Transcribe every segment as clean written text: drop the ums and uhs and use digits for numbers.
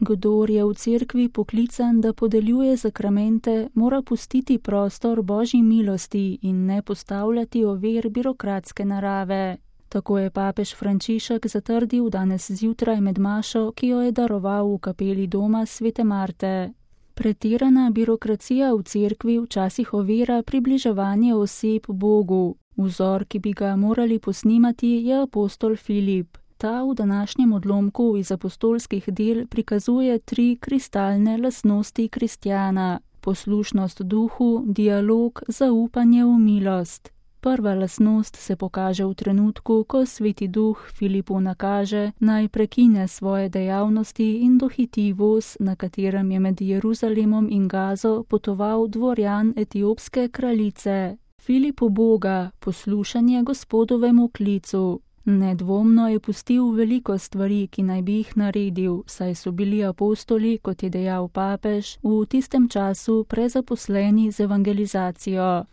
Kdor je v cerkvi poklican, da podeljuje sakramente, mora pustiti prostor Božji milosti in ne postavljati ovir birokratske narave. Tako je papež Frančišek zatrdil danes zjutraj med mašo, ki jo je daroval v kapeli doma Svete Marte. Pretirana birokracija v cerkvi včasih ovira približevanje oseb Bogu. Vzor, ki bi ga morali posnemati, je apostol Filip. Ta v današnjem odlomku iz apostolskih del prikazuje 3 kristalne lastnosti kristjana: poslušnost duhu, dialog, zaupanje v milost. Prva lastnost se pokaže v trenutku, ko Sveti Duh Filipu nakaže, naj prekine svoje dejavnosti in dohiti voz, na katerem je med Jeruzalemom in Gazo potoval dvorjan etiopske kraljice. Filip uboga, poslušanje Gospodovemu klicu. Nedvomno je pustil veliko stvari, ki naj bi jih naredil, saj so bili apostoli, kot je dejal papež, v tistem času prezaposleni z evangelizacijo.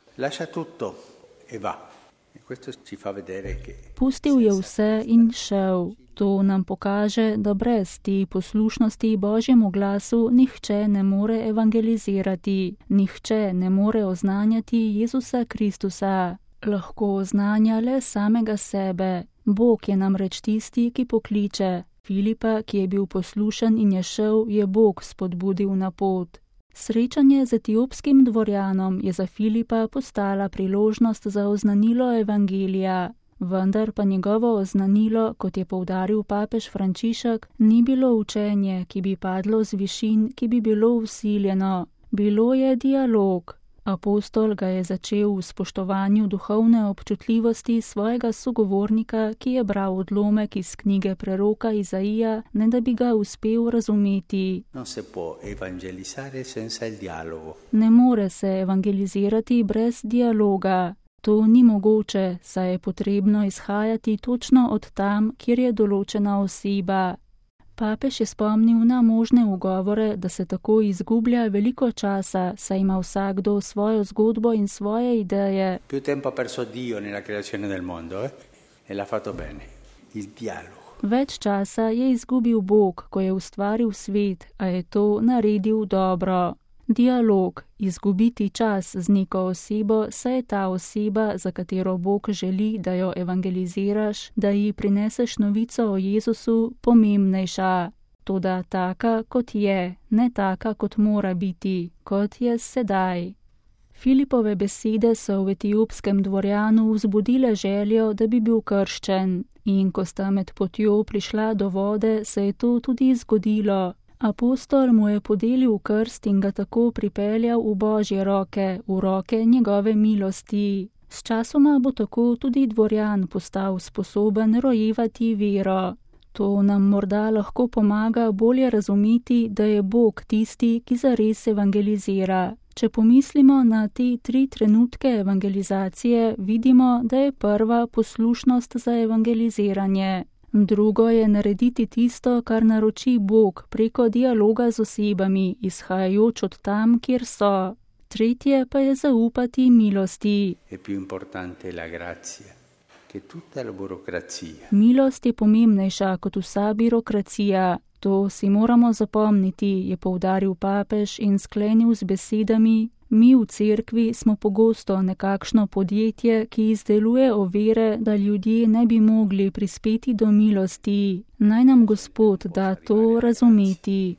Pustil je vse in šel. To nam pokaže, da brez te poslušnosti Božjemu glasu nihče ne more evangelizirati, nihče ne more oznanjati Jezusa Kristusa. Lahko oznanja le samega sebe. Bog je namreč tisti, ki pokliče. Filipa, ki je bil poslušen in je šel, je Bog spodbudil na pot. Srečanje z etiopskim dvorjanom je za Filipa postala priložnost za oznanilo evangelija. Vendar pa njegovo oznanilo, kot je poudaril papež Frančišek, ni bilo učenje, ki bi padlo z višin, ki bi bilo vsiljeno. Bilo je dialog. Apostol ga je začel v spoštovanju duhovne občutljivosti svojega sogovornika, ki je bral odlomek iz knjige preroka Izaija, ne da bi ga uspel razumeti. Ne more se evangelizirati brez dialoga. To ni mogoče, saj je potrebno izhajati točno od tam, kjer je določena oseba. Papež je spomnil na možne ugovore, da se tako izgublja veliko časa, saj ima vsakdo svojo zgodbo in svoje ideje. Več časa je izgubil Bog, ko je ustvaril svet, a je to naredil dobro. Dialog, izgubiti čas z neko osebo, saj je ta oseba, za katero Bog želi, da jo evangeliziraš, da ji prineseš novico o Jezusu, pomembnejša. Toda taka, kot je, ne taka, kot mora biti, kot je sedaj. Filipove besede so v etiopskem dvorjanu vzbudile željo, da bi bil krščen, in ko sta med potjo prišla do vode, se je to tudi zgodilo. Apostol mu je podelil krst in ga tako pripeljal v Božje roke, v roke njegove milosti. Sčasoma bo tako tudi dvorjan postal sposoben rojevati vero. To nam morda lahko pomaga bolje razumeti, da je Bog tisti, ki zares evangelizira. Če pomislimo na te 3 trenutke evangelizacije, vidimo, da je prva poslušnost za evangeliziranje. Drugo je narediti tisto, kar naroči Bog preko dialoga z osebami, izhajajoč od tam, kjer so. Tretje pa je zaupati milosti. Milost je pomembnejša kot vsa birokracija. To si moramo zapomniti, je poudaril papež in sklenil z besedami: mi v cerkvi smo pogosto nekakšno podjetje, ki izdeluje ovire, da ljudje ne bi mogli prispeti do milosti. Naj nam Gospod da to razumeti.